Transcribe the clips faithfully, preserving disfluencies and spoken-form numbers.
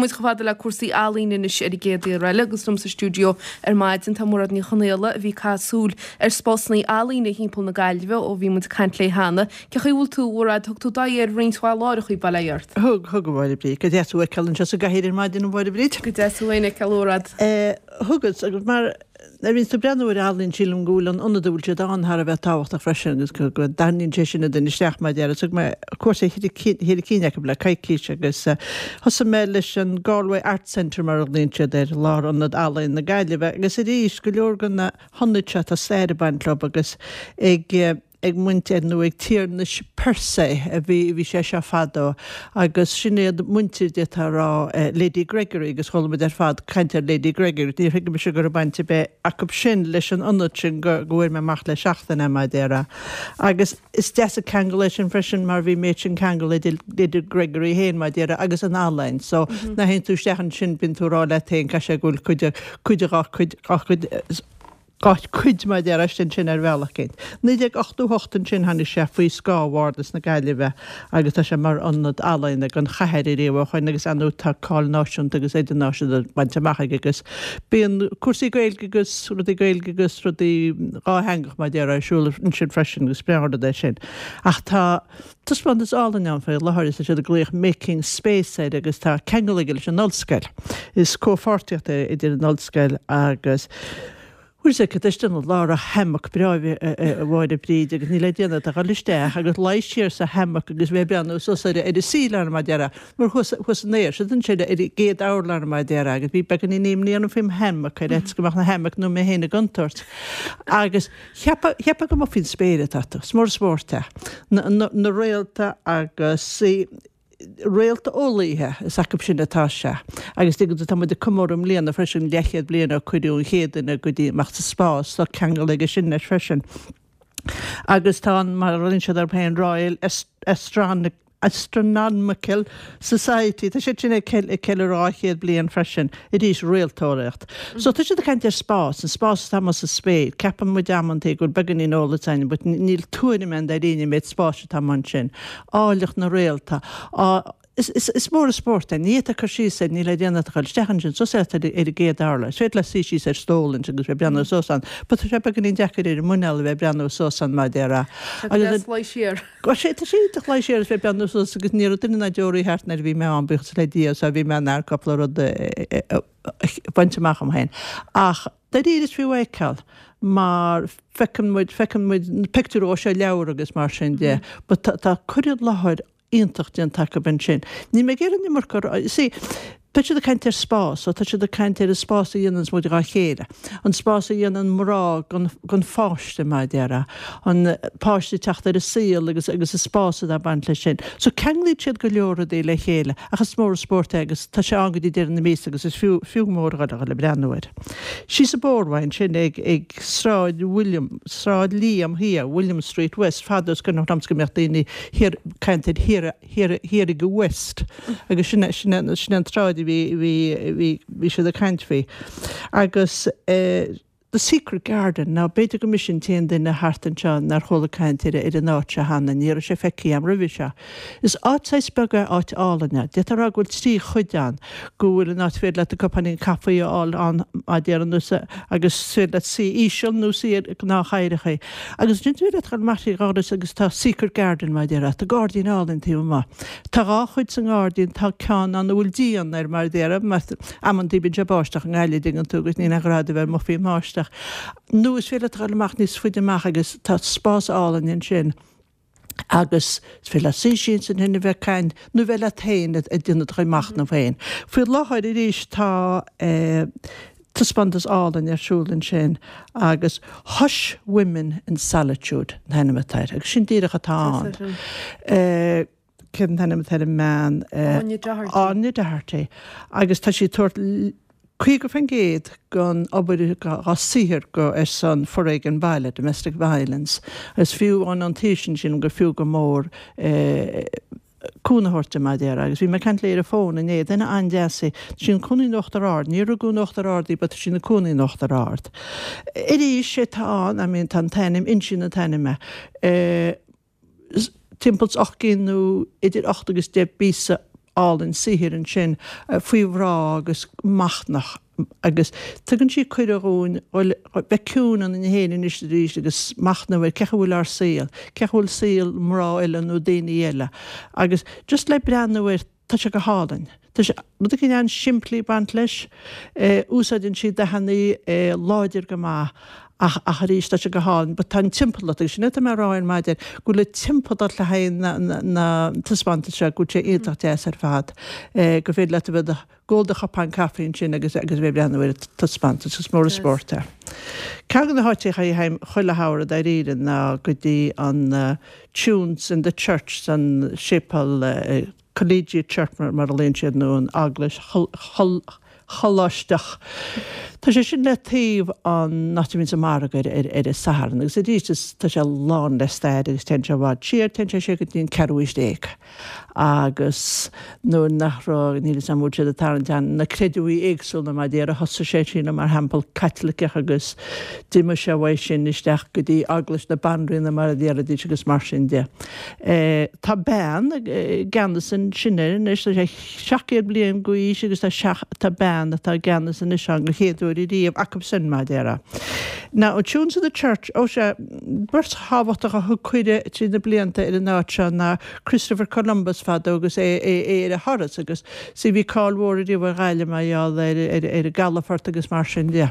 muid chomh fada le cúrsaí ealaíne anois ar an gcéad uair eile agus liom sa stiúideo ar maidin tá Mairéad Ní Chonaola a bhí ag caitheamh súil ar spásanna ealaíne thimpeall na Gaillimhe ó bhí muid ag caint léi cheana. Cén chaoi a bhfuil tú, a Mhairéad, thug tú d'aghaidh ar roinnt mhaith láithreacha bail ó Dhia ort. Thug thug a Mháire Bríd, go deas thú a fheiceáil anseo sa gcathaoir ar maidin a Mháire Bríd. Go deas thú féin a fheiceáil a Mhairéad. Thugas agus mar nuair a bhíonns tú ag breathnú ar ealaín sílim go bhfuil an ionad a bhfuil siad ann thar a bheith tábhachtach freisin agus go go dtarraingíonn sé sin an duine isteach mar a déarfá. Thug mé cuairt ar cheithre cinn acu le coicís agus thosaigh mé leis an Galway Arts Centre mar a ghlaonn siad air, Lárionad Ealaíon na Gaillimhe agus arís go leor de na hionaid seo tá stair ag baint leo agus ag ag muintir nó ag tiarnais Persse a bhí bhí sé seo fadó agus sin iad muintir d'fhéadfá a rá Lady Gregory agus chuala muid ar fad caint ar Lady Gregory níor thuig mise go raibh baint ar bith acu sin leis an ionad sin go go bhfuair mé amach le seachtain é mar a déarfá. Agus is deas an ceangal é sin freisin mar bhí méid sin ceangal idir Lady Gregory féin mar a déarfá agus an ealaín so nuair a théann tú isteach ansin bíonn tú ag rá leat féin caithfidh sé go bhfuil cuid de cuid de dhá cuid dhá cuid dhá cuid mar a déarfá istigh ansin ar bhealach éicint. naoi déag ochtó hocht ansin tháinig sé faoi scáth Bhardas na Gaillimhe agus tá sé mar ionad ealaíona don chathair ariamh ó shoin agus ar ndóigh tá cáil náisiúnta agus idirnáisiúnta bainte amach aige agus bíonn cúrsaí Gaeilge agus rudaí Gaeilge agus rudaí dhátheangach mar a déarfá ar siúl ansin freisin agus breá an rud é sin. Ach tá taispeántas álainn ann faoi láthair is tá siad ag glaoch Making Space air agus tá ceangal aige leis an ollscoil. Is comhpháirtíocht é idir an ollscoil agus Bhuel sea, tá istigh i lár hammock breá a Mháire Bríd agus níl le déanamh ach a dhul isteach agus luí siar sa hammock agus bheith ag breathnú suas ar an ceiling mar a déarfá, mar thuas thuas in aer, siad ansin ar an gcéad urlár mar a déarfá agus bhí beagáinín imní orm faoin hammock ar fhaitíos go mbeadh na hammock nó mé féin i gcontúirt. Agus cheapfá cheapfá go mba faoin spéir atá tú, is mór an spórt é. Na na na réalta agus réalteolaithe, is acu sin atá sé. Agus tuigeann tú, tá muid ag comóradh i mbliana freisin leathchéad bliain ó cuireadh an chéad duine go dtí amach sa spás, tá ceangal aige sin leis freisin. Agus tá an, mar a ghlaonn siad orthu féin, Royal Astronomical Society, tá siad sin ag ceiliúradh dhá chéad bliain freisin, arís réalteolaíocht. So tá siad ag caint ar spás, an spás atá amuigh sa spéir. Ceapann muid amantaí go bhfuil beagáinín eolas againn but níl tuairim againn dáiríre an méid spáis atá amuigh ansin. Áilleacht na réalta. Is, is, is mór an spórt é. Ní fhéadfá cur síos air, níl le déanamh ach a dhul isteach ansin, suas ar an gcéad urlár. Is féidir leat suí síos ar stól ansin agus bheith ag breathnú suas ann. But tá sé beagáinín deacair ar an muineál a bheith ag breathnú suas ann mar a déarfá. Tá go deas luí siar. Tá sé, tá sé iontach luí siar agus bheith ag breathnú suas agus ní raibh duine ná deoraí thart nuair a bhí mé ann, buíochas le Dia, so bhí mé in ann cúpla rud a bhaint amach dom féin. Ach dáiríre is fiú a fheiceáil mar feiceann muid, feiceann muid na pictiúir ó seo leabhar agus mar sin de, but tá, tá cur i láthair iontach déanta acu ansin. Níl mé ag iarraidh an iomarca a rá, you see, tá siad ag caint ar spás, so tá siad ag caint ar an spás a dhéananns muid dhá chéile, an spás a dhéanann mná don, don pháiste mar a déarfá, an páiste ag teacht ar an saol agus, agus an spás atá ag baint leis sin. So ceanglaíonn siad go leor rudaí le chéile ach is mór an spórt é agus tá sé ann go dtí deireadh na míosa agus is fiú, fiú go mór a dhul, a dhul ag breathnú air. Síos an bóthar uaidh ansin ag, ag Sráid William, Sráid Liam Thiar, William Street West, fadó is cuimhneach liomsa go mbeadh daoine thiar, caint ar thiar, thiar, thiar ag an West agus sin, sin, sin an tsráid a bhí, bhí, bhí, bhí siad ag caint faoi. Agus eh The Secret Garden, now b'fhéidir go mise an t-aon duine thart anseo nár chuala caint ar, ar an áit seo cheana, ní raibh sé feicthe agam roimhe seo. Is áit saghas beag é, áit álainn é. D'fhéadfá a rá go bhfuil trí chuid ann, go bhfuil an áit féidir leat cupáinín caife a fháil ann, mar a déarfá nó agus is féidir leat suí íseal nó suí ar gnáthchathaoireacha. Agus ansin is féidir leat dul amach trí dhoras agus tá secret garden mar a déarfá, tá gairdín álainn taobh amuigh. Tá dhá chuid sa ngairdín, tá ceann ann a bhfuil díon air mar a déarfá, mar amantaí bíonn sé ag báisteach i nGaillimh, dtuigeann tú, agus níl aon ghrá duit a bheith amuigh faoin mbáisteach. Nó is féidir leat dul amach níos faide amach agus tá spás álainn ansin. agus is féidir leat suí síos ansin a bheith ag caint nó bheith leat féin ag déanamh do chuid machnaimh féin. Faoi láthair arís tá taispeántas álainn ar siúl ansin agus Hush Women in Solitude an t-ainm atá air agus sin díreach atá ann. Cén t-ainm atá ar an mbean? Áine Doherty. Áine Doherty agus tá sí ag tabhairt caoga faoin gcéad den obair dá saothar go ar son foréigean baile, domestic violence, agus fiú an an taobh sin sílim gur fiú go mór cúnamh a thabhairt di mar a déarfá. Agus bhí mé ag caint léi ar an bhfón inné, duine an-deas í, tá sí ina cónaí in Uachtar Ard, níor rugadh in Uachtar Ard í but tá sí ina cónaí in Uachtar Ard. Arís, sé tá ann, I mean tá an t-ainm, insíonn an t-ainm é. Timpeall is ocht gcinn nó idir ocht agus deich bpíosa álainn saothair ansin faoi mhná agus machnamh agus tugann sí cuireadh dhúinn bheith ciúin ionainn féin anois arís agus machnamh ar cén chaoi a bhfuil ár saol, cén chaoi a bhfuil saol mná eile nó daoine eile agus just le breathnú air tá sé go hálainn. Tá sé rud éicint an-simplí ag baint leis, úsáideann sí dathanna láidir go maith ach ach arís tá sé go hálainn but tá an timpeallacht agus sin atá mé a rá ar maidin go bhfuil an timpeallacht le haghaidh na na na taispeántas seo go bhfuil sé iontach deas ar fad go féidir leat a bheith ag ól do chupán caife ansin agus agus bheith ag breathnú ar an taispeántas is mór an spórt é. Ceann de na háiteacha a théim chuile shamhradh dáiríre ná go dtí an Tunes in the Church san séipéal Collegiate Church mar a ghlaonn siad nó an Eaglais Choláisteach. Tá sé sin le taobh an áit a mbíonn an margadh ar ar ar an Satharn agus arís is tá sé lán le stair agus téann sé i bhfad siar, téann sé siar go dtí an ceathrú haois déag agus nuair nach raibh, níl 'fhios a'm an bhfuil siad ag tarraingt an na creidmhigh éagsúla mar a déarfá thosaigh sé sílim mar theampall Caitliceach agus d'imigh sé uaidh sin isteach go dtí Eaglais na Banríona mar a déarfaidís agus mar sin de. Tá bean i gceannas ansin air anois, tá sé seacht gcéad bliain d'aois agus tá seacht, tá bean atá i gceannas anois ann den chéad uair ariamh acu sin mar a déarfá. Now, Tunes of the Church, ó sea, beirt thábhachtach a thug cuireadh trí na blianta ar an áit seo ná Christopher Columbus fadó agus é é ar a thuras agus sea bhí cáil mhór ariamh ar Ghaillimh mar gheall ar ar ar an gcalafort agus mar sin de.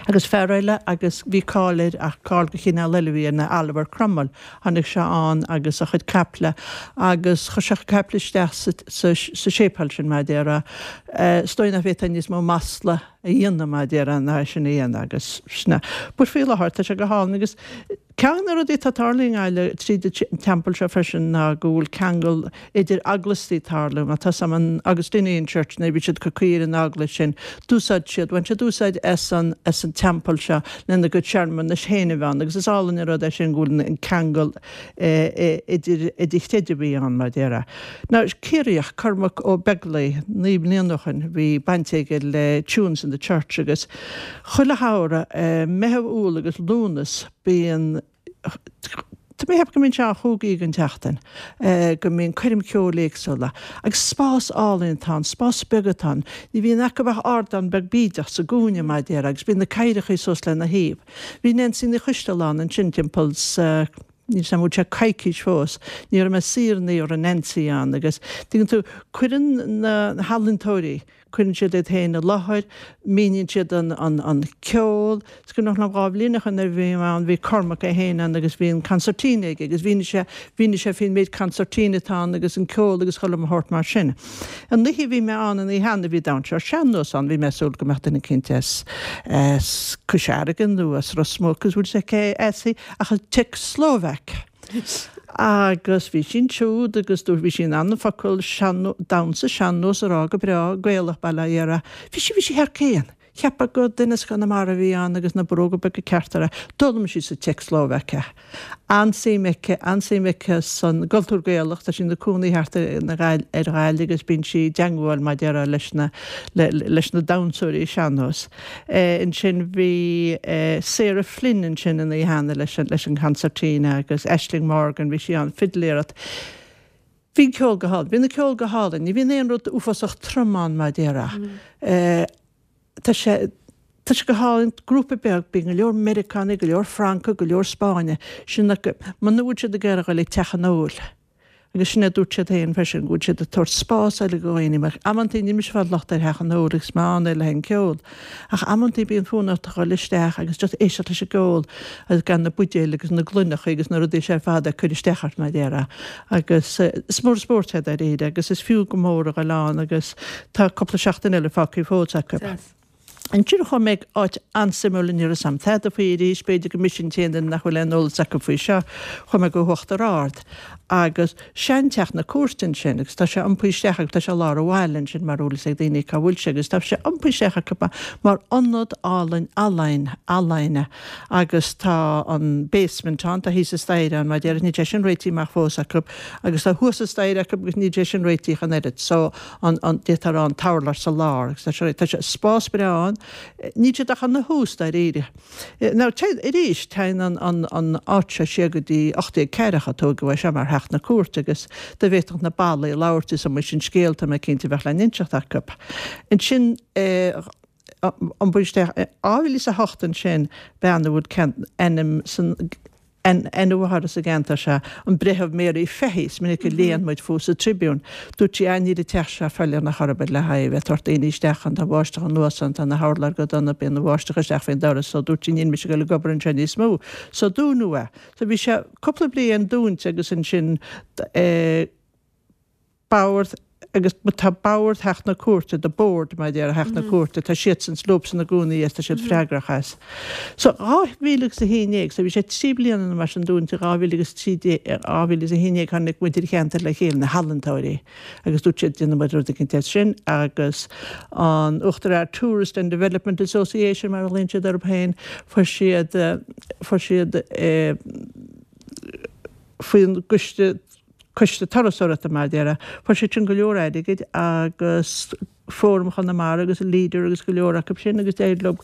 Agus fear eile agus bhí cáil air ach cáil de chineál eile a bhí air ná Oliver Cromwell. Tháinig sé ann agus a chuid caiple agus chuir sé a chuid caiple isteach sa sa sa séipéal sin mar a déarfá. Is dóigh nach bhféadfá níos mó masla a dhéanamh mar a déarfá ná é sin a dhéanamh agus sin é. But faoi láthair tá sé go hálainn agus ceann de na rudaí atá ag tarlú i nGaillimh tríd an teampall seo freisin ná go bhfuil ceangal idir eaglaistí ag tarlú. Má tá 'fhios a'm an Augustinian Church nuair a bhí siad ag cur caoi ar an eaglais sin d'úsáid siad, bhain siad úsáid as an as an teampall seo lena gcuid searmanais féin a bheith ann agus is álainn an rud é sin go bhfuil an ceangal idir idir chreidmhigh ann mar a déarfá. Now Ciarraíoch, Cormac Ó Beaglaoich, naoi mbliana ó shin bhí baint aige le Tunes in the Church agus chuile shamhradh, Meitheamh, Iúil agus Lúnasa bíonn Tá mé ag ceapadh go mbíonn sé ann chúig oíche den tseachtain, go mbíonn coirm cheoil éagsúla. Agus spás álainn atá ann, spás beag atá ann. Ní bhíonn acu ach ardán beag bídeach sa gcúinne, mar a déarfá, agus bíonn na cathaoireacha suas lena thaobh. Bhí Neansaí Ní Choistealbha ann ansin timpeall sa, níl 'fhios a'm an bhfuil sé coicís fós, ní raibh mé saor ní raibh Neansaí ann agus, tuigeann tú, cuireann na healaíontóirí, Cuireann siad iad féin i láthair, míníonn siad an ceol. Is cuimhneach liom dhá bhliain ó shin nuair a bhí mé ann, bhí Cormac é féin ann agus bhí an concertina aige agus mhínigh sé, mhínigh sé faoin méid concertina atá ann agus an ceol agus chuile shórt mar sin. An oíche a bhí mé ann an oíche cheana bhí damhsóir sean-nós ann, bhí mé ag súil go mbeadh duine eicínt as, as Cois Fharraige nó as Ros Muc agus bhfuil 'fhios a'd cé as í ach an tSeicslóvaic. Agus bhí sí ansiúd agus dúirt, bhí sí in ann an focal sean, damhsa sean-nós a rá go breá, Gaelach bail ó Dhia uirthi. Bhí sí, bhí sí thar cionn. Cheapfá gur duine as Conamara a bhí ann agus na bróga beaga cearta uirthi. D'fhoghlaim sí sa tSeicslóvaic é. An-suim aici, an-suim aici san gcultúr Gaelach, tá sí ina cónaí thart ar ar Ghaillimh agus bíonn sí i dteangmháil mar a déarfá leis na, leis na damhsóirí sean-nós. Ansin bhí Sarah Flynn ansin an oíche cheana leis an leis an concertina agus Aisling Morgan, bhí sí ann fidléireacht. Bhí an ceol go hálainn. Bhí an ceol go hálainn. Ní bhíonn aon rud uafásach trom ann mar a déarfá. Tá sé tá sé go hálainn, grúpa beag, bíonn go leor Meiriceánaigh, go leor Francaigh, go leor Spáinnigh, sin muna bhfuil siad ag iarraidh a dhul ag teach an óil. Agus sin é a dúirt siad féin freisin, go bhfuil siad ag tabhairt spás eile do dhaoine, mar amantaí níl mise ag fáil locht ar theach an óil agus mé ann le haghaidh an ceol, ach amantaí bíonn fonn ort a dhul isteach agus just éisteacht leis an gceol agus gan na buidéil agus na gloineacha agus na rudaí seo ar fad ag cur isteach ort mar a déarfá. Agus is mór an spórt é dáiríre agus is fiú go mór a dhul ann agus tá cúpla seachtain eile fágtha fós acu. Ansin chuaigh mé ag áit an-suimiúil ní raibh 'fhios a'm tada faoi arís, b'fhéidir gur mise an t-aon duine nach bhfuil aon eolas acu faoi seo, chuaigh mé go hUachtar Ard agus seanteach na cúirte ansin agus tá sé iompaithe isteach acu, tá sé i lár an bhaile ansin mar bhfuil 'fhios ag daoine cá bhfuil sé agus tá sé iompaithe isteach acu mar ionad álainn ealaíne, ealaíne agus tá an basement ann, tá thíos an staighre ann mar a déarfá, níl sé sin réitithe amach fós acu agus tá thuas an staighre acu agus níl sé sin réitithe ach an oiread so an, an, d'fhéadfá a rá an t-urlár sa lár agus tá sé, tá sé spás breá ann Níl siad ach ina thús dáiríre. Now arís téann an an an áit seo siar go dtí ocht déag ceathracha a tógadh é seo mar theach na cúirte agus dá bhféadfadh na ballaí labhairt is iomaí sin scéal tá mé cinnte a bheadh le n-inseacht acu. Ansin an isteach dhá mhíle is a hocht ansin bean a bhfuil ainm san ainm a mháthara sa gceantar seo, an Breitheamh Mary Fahy, is minic a léann muid fúithi sa Tribune. Dúirt sí, Níl an teach seo feiliúnach ar bith le haghaidh a bheith ag tabhairt daoine isteach ann, tá an bháisteach anuas ann, tá na hurláir go dona, bíonn an bháisteach isteach faoin doras, so dúirt sí, níl mise ag dul ag obair anseo níos mó. So dúnadh é. So bhí sé cúpla bliain dúnta agus ansin eh, bord agus tá bord theach na cúirte, the board mar a deir theach na cúirte, tá siadsan leobsan i gcónaí as, tá siad freagrach as. So dhá mhíle agus a haon déag, so bhí sé trí bliana nó mar sin dúnta, dhá mhíle agus trí déag, dhá mhíle is a haon déag tháinig muintir an cheantair le chéile, na healaíontóirí, agus dúirt siad déanfaidh muid rud éicint as sin agus an Uachtar Ard Tourist and Development Association mar a ghlaonn siad orthu féin, fuair siad, fuair siad eh, faoin gcoiste Coiste Turasóireachta mar a déarfá. Fuair siad sin go leor airgid agus Fóram Chonamara agus Leader agus go leor acu sin agus d'éirigh leo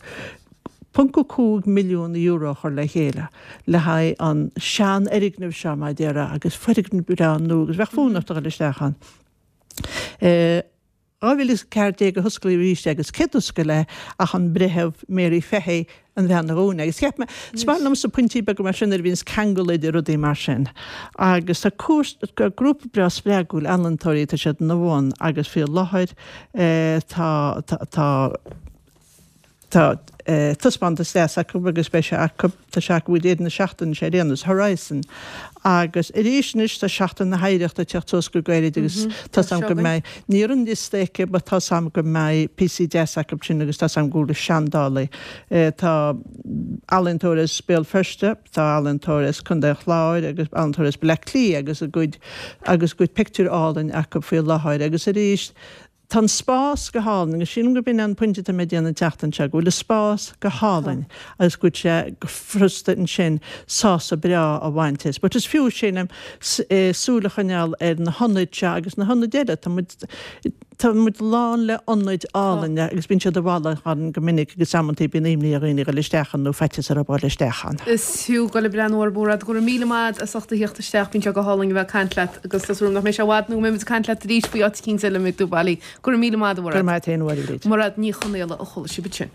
ponc a cúig milliún euro a chur le chéile le haghaidh an seanfhoirgneamh seo mar a déarfá agus foirgneamh breá nua agus bheadh fonn ort a dhul isteach ann. dhá mhíle is a ceathair déag a hosclaíodh arís é agus cé d'oscail é ach an Breitheamh Mary Fahy, an bhean a dhún é. Agus cheap mé, is maith liomsa pointí beaga mar sin nuair a bhíonns ceangal idir rudaí mar sin. Agus tá grúpa breá spreagúil ealaíontóirí, tá siad ina bhun agus faoi láthair tá, tá, tá, Tá taispeántas deas acu agus beidh sé acu, tá sé acu i deireadh na seachtaine seo ar aon nós, Horizon. Agus arís anois tá Seachtain na hOidhreachta ag teacht suas go gairid agus tá 's a'm go mbeidh, níl an liosta aici but tá 's a'm go mbeidh píosaí deas acu sin agus tá 's a'm go bhfuil seandálaí, tá ealaíontóir as Béal Feirste, tá ealaíontóir as Contae an Chláir agus ealaíontóir as Baile Átha Cliath agus a gcuid, agus a gcuid pictiúr álainn acu faoi láthair agus arís, Tá an spás go hálainn agus sílim gurb in é an pointe atá mé ag déanamh an tseachtain seo, go bhfuil an spás go hálainn agus go bhfuil sé go furasta ansin sásamh breá a bhaint as. But is fiú, sílim, súil a choinneáil ar na hionaid seo agus na hionaid eile. Tá muid, tá muid lán le hionaid álainne agus bíonn siad i bhfolach orainn go minic agus amantaí bíonn imní ar dhaoine a dhul isteach ann nó faitíos orthu a dhul isteach ann. Is fiú dul ag breathnú orthu, a Mhairéad. Go raibh míle maith agat as ucht a theacht isteach, bíonn sé go hálainn a bheith ag caint leat. Agus tá súil agam nach mbeidh sé i bhfad nó go mbeidh muid ag caint leat arís faoi áit eicínt eile a mbeidh tú bailí. Go raibh míle maith agat, a Mhairéad. Go raibh maith agat féin, a Mháire Bhríd. Mairéad Ní Chonaola a chuala sibh ansin.